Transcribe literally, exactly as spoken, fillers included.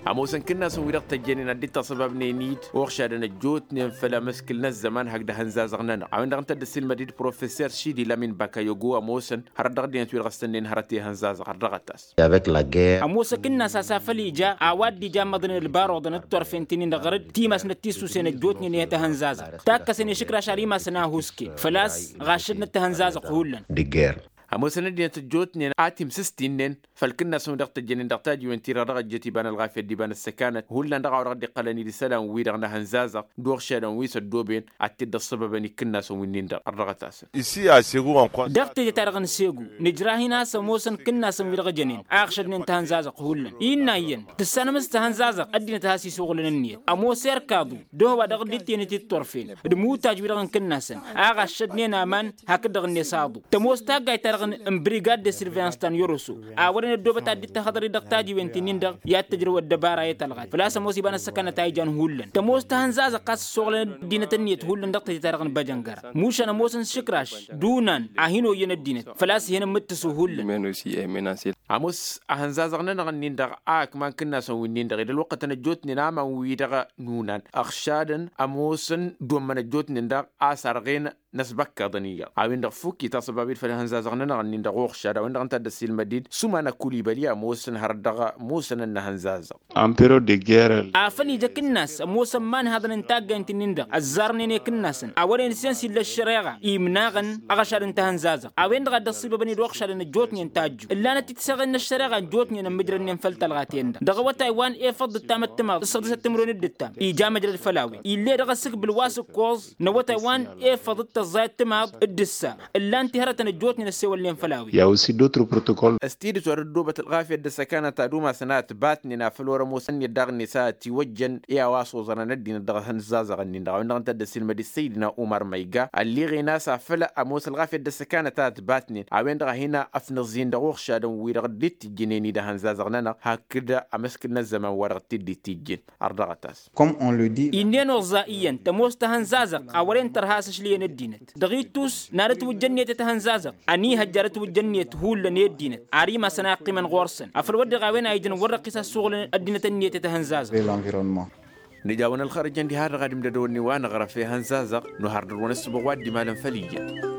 Ămoosăn kǝnnasăn wi-dăɣ tăjjănen ad-dd-tasăbabnen-dd uɣšadăn ăjjootnen făll-amǝskǝl n-ăzzăman hakd ahănzazăɣ-nănăɣ a-wen-dăɣ ǝnta a dd-ăssiilmăd-dd professor šidi lamin bakayogo ămoosăn hărăt dăɣ-ăddinăt wi-dăɣ ăssănnen hărăt i-ahănzazăɣ ărdăɣăt-as. Ămoos akǝnnas a-s a făl ija a-wa dd-ija ămmăḍnen ălbaruḍăn d-turfen ti-nin-dăɣ ɣărăt timas n-ăttissusen ăjjootnen i-tahănzazăɣ takkăsăn išǝkraš ar imasăn a ăhuusken făl-a-s ɣaššădnăt tahănzazăɣ hullan. Ămoosăn ăddinăt ăjjootnen a timsǝstinnen făll-kǝnnasăn wi-dăɣ tăjjănen dăɣ-tajiwen-ti-dăɣ dăɣ-ăjjăt iba n-ălɣafyăt d-iba n-ăssăkanăt hullan dăɣ-a-wa dăɣ-dd-iqqălăn-dd isălan-wi-dăɣ n-ahănzazăɣ d-uɣšadăn wi s-ăddooben ad-t-dd-ăṣṣăbăbăn i-kǝnnasăn wi-nin-dăɣ ărdăɣăt-asăn. Dăɣ-teje-ta-dăɣ n-segu nǝjrah-in a-s ămoosăn kǝnnasăn wi-dăɣ jănen a ăɣšădnen tahănzazăɣt hullan innă iyyăn tǝssanăm s-tahănzazăɣt ăddinăt a has-isuɣǝlăn ǝnniyăt ămoos erkaḍu d-ehăwa dăɣ-dd-ittenăt i-dd-turfen d-imutaj-wi-dăɣ n-kǝnnasăn a ɣaššădnen aman hakd-dăɣ-net aḍu tămoos taggayt-ta-dăɣ n-brigad de surveillance ta n-yoroso a wărăn ăddoobăt ad-dd-tahăḍăr-dd dăɣ-tajiwen ti-nin-dăɣ i-ad-tǝjrăw ăddăbara i-talɣat făl-a-s ămoos iba n-ăssăkanăt a ijan hullan tămoos tahănzazăɣt a s-ǝssoɣlăn ăddinăt ǝnniyăt hullan dăɣ-teje-ta-dăɣ n-băjăngăra mušan ămoosăn s-iškraš d-unan a hin-oyyăn ăddinăt făl-a-s ih'-inăn mǝttǝsu hullan. Ămoos ahănzazăɣ-nănăɣ-nin-dăɣ a ǝkman kǝnnasăn wi-nin-dăɣ ed ălwăqqătăn ăjjootnen aman-wi-dăɣ n-unan ăɣšadăn ămoosăn d-ommăn ăjjootnen-dăɣ a sarɣen n-ăsbăkkaḍăn iyyăḍ a-wen-dăɣ fukki tasăbabit făll-ihănzazăɣ-nănăɣ-nin-dăɣ uɣšad a-wen-dăɣ ǝnta a dd-ăssiilmăd-dd sumana kulibăli ămoosăn hărăt dăɣ-musănăn-năhănzazăɣ. Afăl ija akǝnnas ămoosăn imanhaḍăn n-taggaynt-nin-dăɣ ăzzarnen i-kǝnnasăn a wărăn isens illa ăššăreɣa imnaɣăn aɣăšad n-tahănzazăɣ a-wen-dăɣ a dd-ăṣṣibăbăn-dd uɣšadăn ăjjootnen tajju ǝllanăt-t tiseɣen n-ăššăreɣa n-ăjjootnen ămmǝjrănnen făll-tălɣaten-dăɣ dăɣ-awătay wa n-efăḍ d-tamăttămaḍ d-săɣdǝsăt timǝrwen d-ǝttam ija măjrăd făll-a-wen ill'-e dăɣ-asǝkbǝl wa s-ǝkkoẓ n-awătay wa n-efăḍ d-tăẓẓay ăttămaḍ d-ǝssa ǝllan-t i-hărătăn ăjjootnen ăssewălnen făll-a-wen. I-a aussi d'autres protocoles. S-tidǝt wăr-ăddoobăt ălɣafyăt d-ăssăkanăt ad-umasăn a ătbatnen a făl wăr-ămoosăn iyyăt daɣ-net a ătiwăjjăn i-a-wa s-oẓărăn ăddinăt dăɣ-ihănzazăɣ-nin-dăɣ a-wen-dăɣ ǝnta a dd-ăssiilmăd-dd săydina umar măyga ălliɣen a-s afăl ămoos ălɣafyăt d-ăssăkanăt a ătbatnen a-wen-dăɣ a hin-ăfnăẓẓin dăɣ-uɣšadăn-wi-dăɣ dd-itijjǝnen-dd ihănzazăɣ-nănăɣ hakd amǝskǝl n-ăzzăman wa dăɣ-t-dd-itijjǝn. Ărdăɣăt-as. Comme on le dit. Innă ănoẓẓa iyyăn tămoos tahănzazăɣt a wăren tărha a-s ašli i-ăddinăt dăɣ-ittus n-ad-ătwǝjjăn niyăt i-tahănzazăɣt ănihăjja ad-ătwǝjjăn niyăt hullan i-ăddinăt ar imasăn a ǝqqimăn ɣur-săn afăl wăr dăɣ-a-wen a ijăn wăr-răqqis a ăssuɣǝlăn ăddinăt ǝnniyăt i-tahănzazăɣt. Nǝja-wăn ălxărăjăn diha-dăɣ ad-imdădăwăn n-iwa năɣrăf i-ihănzazăɣ. Nuhar dăr-wăn ăssubăɣ wa dd-imalăn făll-iyyăn.